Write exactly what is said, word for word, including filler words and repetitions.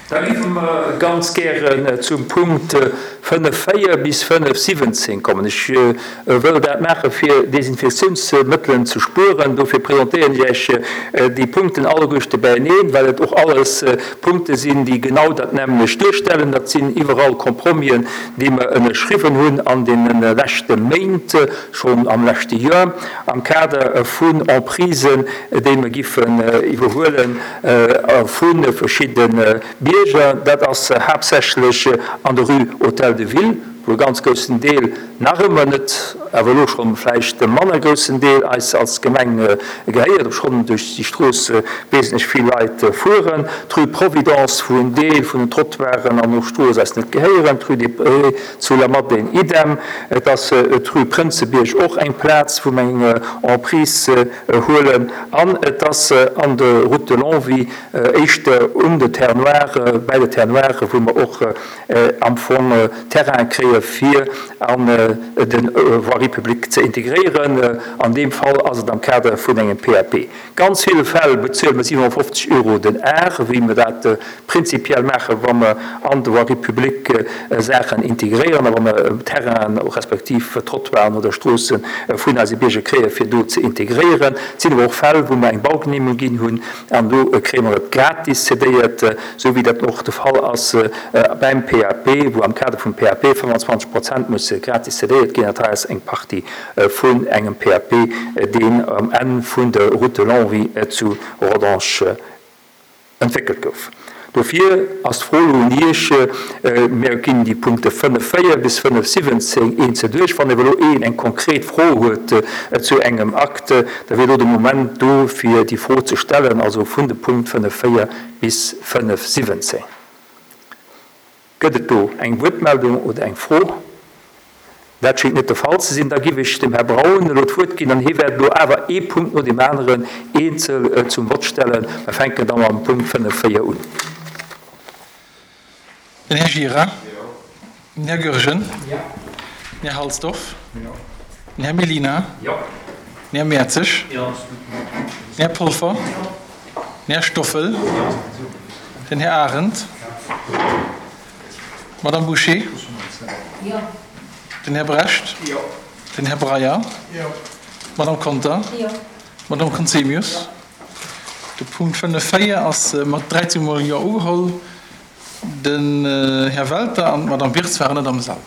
Da géife mer ganz gären zum Punkt fënnef véier bis fënnef siwwenzéng kommen. Ech wëll dat maachen, fir Desinfektiounsmëttelen ze spueren. Dofir presentéieren ech Iech déi Punkten alleguerte beieneen, well et och alles Punkte sinn, déi genau dat nämmlecht duerstellen. Dat sinn iwwerall Compromis'en, déi mer ënnerschriwwen hunn an deene leschte Méint, schonn am leschte Joer, am Kader vun Emprisen, déi mer giffen iwwerhuele vu verschidde Bierger. Dat ass haaptsächlech an der Rue Hôtel de Ville, wou e ganz groussen Deel nach ëmmer net, awer elo schonn vläicht e manner groussen Deel eis als Gemeng gehéiert, obschonn duerch déi Strooss wesentlech vill Leit fueren, d'Rue Providence, wou en Deel vun den Trottoiren an och Strooss eis net gehéieren, d'Rue des Prés zu Lamadelaine idem. Et ass d'Rue Prënzebierg, och eng Plaz, wou mer eng Emprise huelen, an et ass an der Route de Longwy, éischter un de Terres Noires, bäi de Terres Noires, wou mer och am Fong Terrain kréie fir an de Voirie publique ze integréieren. An deem Fall ass et am Kader vun engem P A P. Ganz ville Fäll bezuele mer siewenundfünfzig Euro den Ar, wéi mer dat prinzipiell maachen, wa mer an de Voirie publique Saachen integréieren a wa mer Terrainen respektiv Trottoiren oder Stroosse vun eise Bierger kréie fir do ze integréieren. Et sinn awer och Fäll, wou mer eng Baugenehmigung ginn hunn an do kréie mer et gratis cédéiert, sou wéi dat och de Fall ass beim P A P, wou am Kader vum P A P fënfundzwanzeg Prozent musse gratis cédéiert ginn. Dat hei ass eng Partie vun engem P A P, deen am Enn vun der Route de Longwy zu Rodange entwéckelt gouf. Dofir ass d'Fro elo un Iech, mir ginn déi Punkte fënnef véier bis fënnef siwwenzéng eenzel duerch. Wann awer elo een eng konkret Fro huet zu engem Akt, da wier elo de Moment do, fir déi Fro ze stellen, also vun de Punkt fënnef véier bis fënnef siwwenzéng. Gëtt et do eng Wuertmeldung oder eng Fro? Dat schéngt net de Fall ze sinn. Da giff ech dem Här Braun elo d'Wuert ginn an hie wäert elo awer ee Punkt no deem aneren eenzel zum Vott stellen. Mir fänken da mam Punkt fënnef véier un. Den Här Gira, den Här Goergen, den Här Halsdorf, den Här Mellina, den Här Mertzig, den Här Polfer, den Här Stoffel, den Här Arendt, Madame Boucher, den Här Brecht, den Här Breyer, Madame Conter, Madame Conzemius. De Punkt fënnef véier ass mat dräizéng Mol Jo ugeholl. Den Här Welter an d'Madame Wirtz waren net am Sall.